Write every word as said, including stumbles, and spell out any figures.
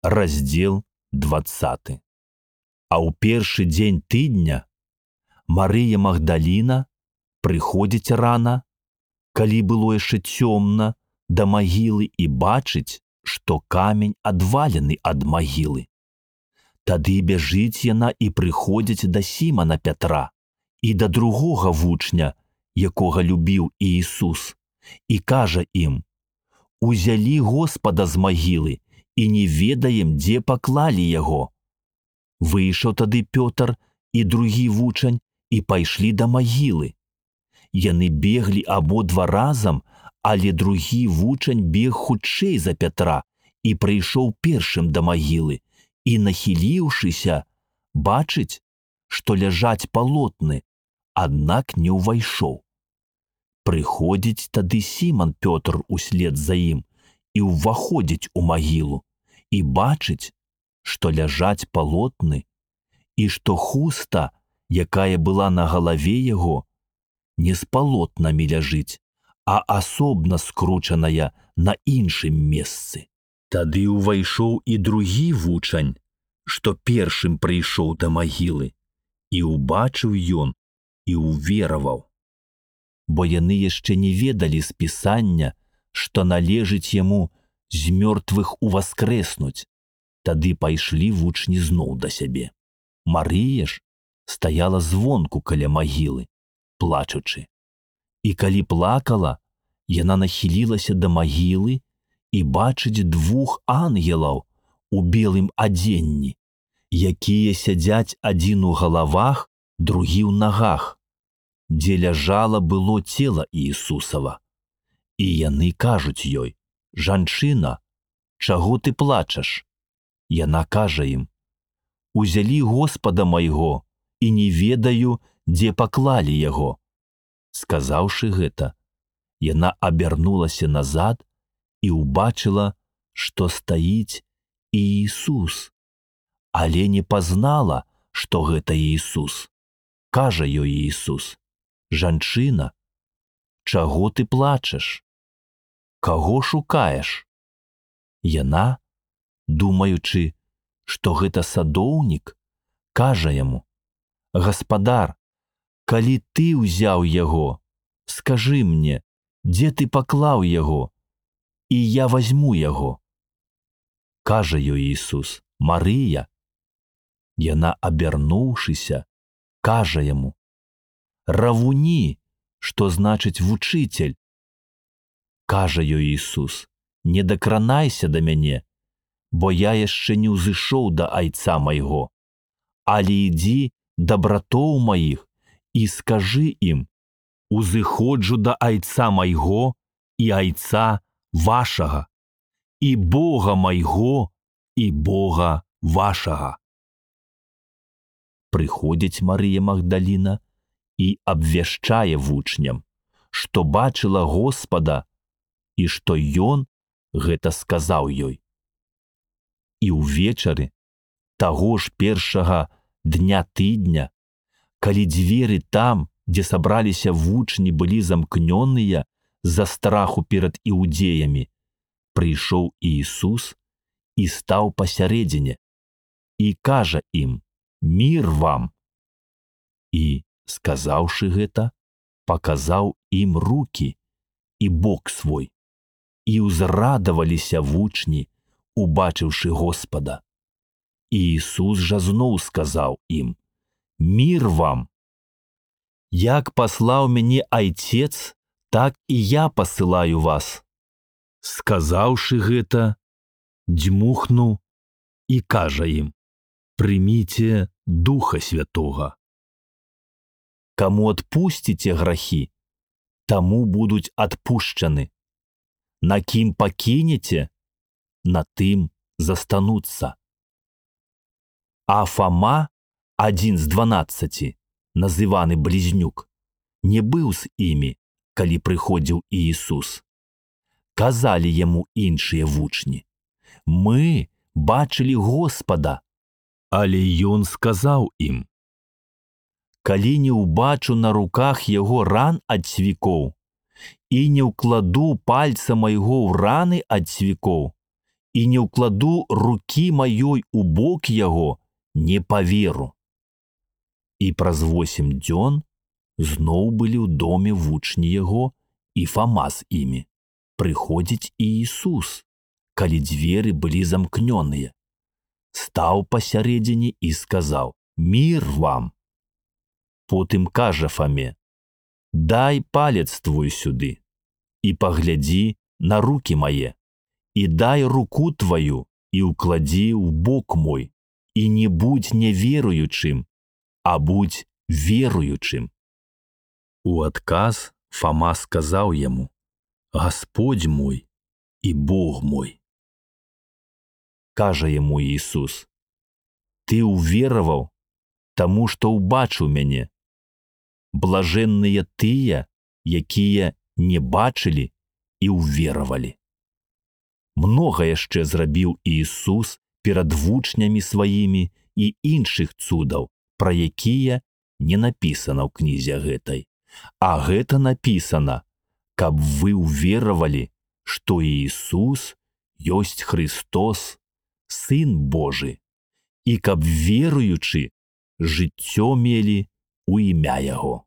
раздзел двадцаты. А ў першы дзень тыдня Марыя Магдаліна прыходзіць рана, калі было яшчэ цёмна, да магілы і бачыць, што камень адвалены ад магілы. Тады бяжыць яна і прыходзіць да Сімана Пятра і да другога вучня, якога любіў Іісус, і кажа ім: «Узялі Господа з магілы і не ведаем, дзе паклалі яго». Выйшаў тады Пётр і другі вучань і пайшлі да магілы. Яны беглі абодва разам, але другі вучань бег хутчэй за Пятра і прыйшоў першым да магілы і, нахіліўшыся, бачыць, што ляжаць палотны, аднак не ўвайшоў. Прыходзіць тады Сіман Пётр услед за ім і ўваходзіць у магілу і бачыць, што ляжаць палотны і што хуста, якая была на галаве яго, не з палотнамі ляжыць, а асобна скручаная на іншым месцы. Тады ўвайшоў і другі вучань, што першым прыйшоў да магілы, і ўбачыў ён і ўвераваў. Бо яны яшчэ не ведалі з Пісання, што належыць яму з мёртвых уваскрэснуць. Тады пайшлі вучні зноў да сябе. Марыя ж стаяла звонку каля магілы, плачучы. І калі плакала, яна нахілілася да магілы і бачыць двух ангелаў у белым адзенні, якія сядзяць адзін у галавах, другі ў нагах, дзе ляжала было цела Іісусава. І яны кажуць ёй: «Жанчына, чаго ты плачаш?» Яна кажа ім: «Узялі Господа майго, і не ведаю, дзе паклалі яго». Сказаўшы гэта, яна абярнулася назад і ўбачыла, што стаіць Іісус, але не пазнала, што гэта Іісус. Кажа ёй Іісус: «Жанчына, чаго ты плачаш? Каго шукаеш?» Яна, думаючы, што гэта садоўнік, кажа яму: «Гаспадар, калі ты ўзяў яго, скажы мне, дзе ты паклаў яго, і я вазьму яго». Кажа ёй Іісус: «Марыя». Яна, абярнуўшыся, кажа яму: «Равуні», што значыць вучыцель. Кажа ёй Іісус: «Не дакранайся да мяне, бо я яшчэ не ўзышоў да айца майго, але ідзі да братоў маіх і скажы ім: узыходжу да айца майго і айца вашага, і Бога майго і Бога вашага». Прыходзіць Марыя Магдаліна і абвяшчае вучням, што бачыла Господа і што ён гэта сказаў ёй. І ўвечары таго ж першага дня тыдня, калі дзверы там, дзе сабраліся вучні, былі замкнёныя з-за страху перад іудзеямі, прыйшоў Іісус і стаў пасярэдзіне і кажа ім: «Мір вам!» І, сказаўшы гэта, паказаў ім рукі і бок свой. І ўзрадаваліся вучні, убачыўшы Господа. Іісус жа зноў сказаў ім: «Мір вам! Як паслаў мяне Айцец, так і я пасылаю вас». Сказаўшы гэта, дзьмухнуў і кажа ім: «Прыміце Духа Святога. Каму адпусціце грахі, таму будуць адпушчаны. На кім пакінеце, на тым застануцца». А Фама, адзін з дванаццаці, называны Блізнюк, не быў з імі, калі прыходзіў Іісус. Казалі яму іншыя вучні: «Мы бачылі Господа». Але ён сказаў ім: «Калі не ўбачу на руках яго ран ад цвікоў і не ўкладу пальца майго ў раны ад цвікоў і не ўкладу рукі маёй у бок яго, не паверу. І праз восем дзён зноў былі ў доме вучні яго і Фама з імі. Прыходзіць і Ісус, калі дзверы былі замкнёныя. Стаў пасярэдзіне і сказаў: «Мір вам!» Потым кажа Фаме: «Дай палец твой сюды і паглядзі на рукі мае, і дай руку твою і ўкладзі ў бок мой, і не будзь неверуючым, а будзь веруючым». У адказ Фама сказаў яму: «Гасподзь мой і Бог мой». Кажа яму Ісус: «Ты ўвераваў, таму што ўбачыў мяне. Блажэнныя тыя, якія не бачылі і ўверавалі». Многа яшчэ зрабіў Ісус перад вучнямі сваімі і іншых цудаў, пра якія не напісана ў кнізе гэтай. А гэта напісана, каб вы ўверавалі, што Ісус ёсць Христос, Сын Божы, і каб веруючы жыццё мелі ў імя Яго.